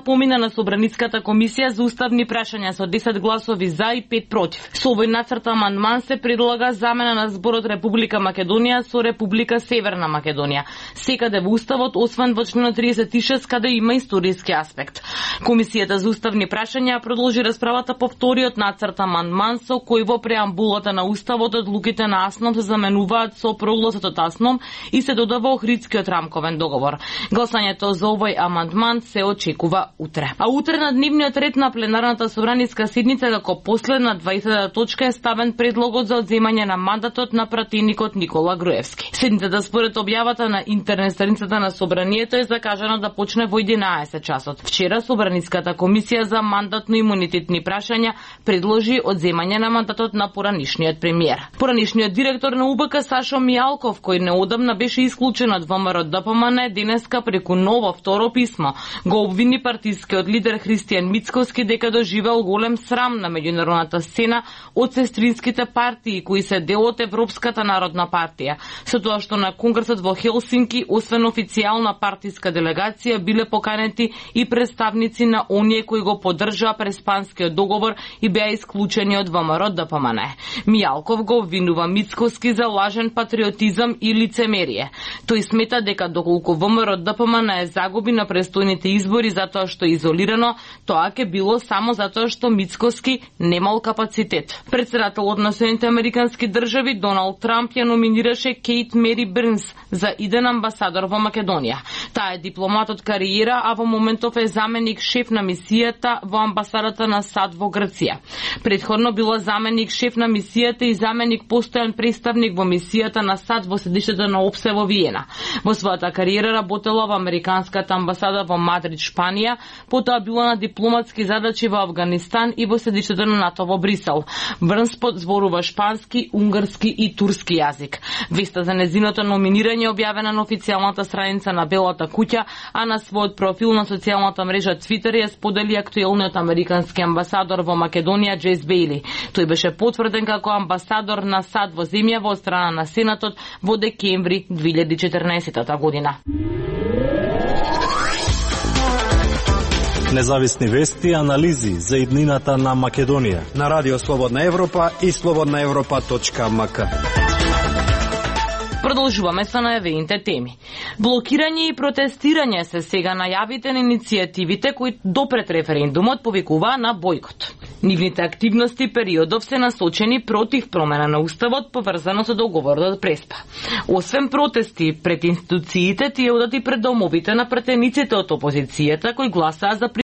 помина на Собраницката комисија за уставни прашања со 10 гласови за и 5 против. Со овој нацрт амандман се предлага замена на зборот Република Македонија со Република Северна Македонија, секаде во уставот освен во членот 36 каде има историски аспект. Комисијата за уставни прашања продолжи расправата по вториот нацрт амандман со кој во преамбулата на уставот одлуките на АСНОМ се заменуваат со прогласот АСНОМ и се додава Охридскиот рамковен договор. Гласањето за овој амандман се очекува утре. А утре на дневниот ред на пленарната собраниска седница како последна 20-та точка е ставен предлогот за одземање на мандатот на пратеникот Никола Груевски. Седницата според објавата на интернет страницата на собранието е закажано да почне во 11 часот. Вчера Собраниската комисија за мандатно-имунитетни прашања предложи одземање на мандатот на поранишниот премиер. Поранишниот директор на УБК Сашо Мијалков, кој неодамна беше исклучен од ВМРО ДПМН, денеска преку ново второ писмо го обвини партискиот лидер Христијан Мицкоски дека доживел голем срам на меѓународната сцена од сестринските партии кои се дел од Европската народна партија, со тоа што на конгресот во Хелсинки освен официјална партиска делегација биле поканети и представници на оние кои го поддржаа Преспанскиот договор и беа исклучени од ВМРО ДПМН. Мијалков го обвинува Мицкоски за лажен патриотизам и лицемерие. Тој смета дека доколку ВМРО ДПМН е загуби на престојните избори затоа што е изолирано, тоа ќе било само затоа што Мицкоски немал капацитет. Председателот на Соединените американски држави Доналд Трамп ја номинираше Кейт Мери Бернс за иден амбасадор во Македонија. Таа е дипломат од кариера, а во моментов е заменик шеф на мисијата во амбасадата на САД во Грција. Предходно била заменик шеф на мисијата и заменик постојан представник во мисијата на САД во седиште на ОПСЕ во Виена. Во својата кариера работела во американската амбасада во Мадрид, Шпанија, потоа била на дипломатски задачи во Авганистан и во седиштето на НАТО во Брисел. Бернс зборува шпански, унгарски и турски јазик. Веста за незиното номинирање објавена на официјалната страница на Белата куќа, а на својот профил на социјалната мрежа Твитер ја сподели актуелниот американски амбасадор во Македонија Джейс Бейли. Тој беше потврден како амбасадор на САД во земјава од страна на Сенатот во декември 2014 година. Независни вести и анализи за иднината на Македонија на Радио Слободна Европа и slobodnaevropa.mk. Продолжуваме со најавените теми. Блокирање и протестирање се сега најавите на иницијативите кои допред референдумот повикуваа на бојкот. Нивните активности периодов се насочени против промена на уставот поврзано со договорот од Преспа. Освен протести пред институциите, тие одат и пред домовите на пратениците од опозицијата кои гласаа за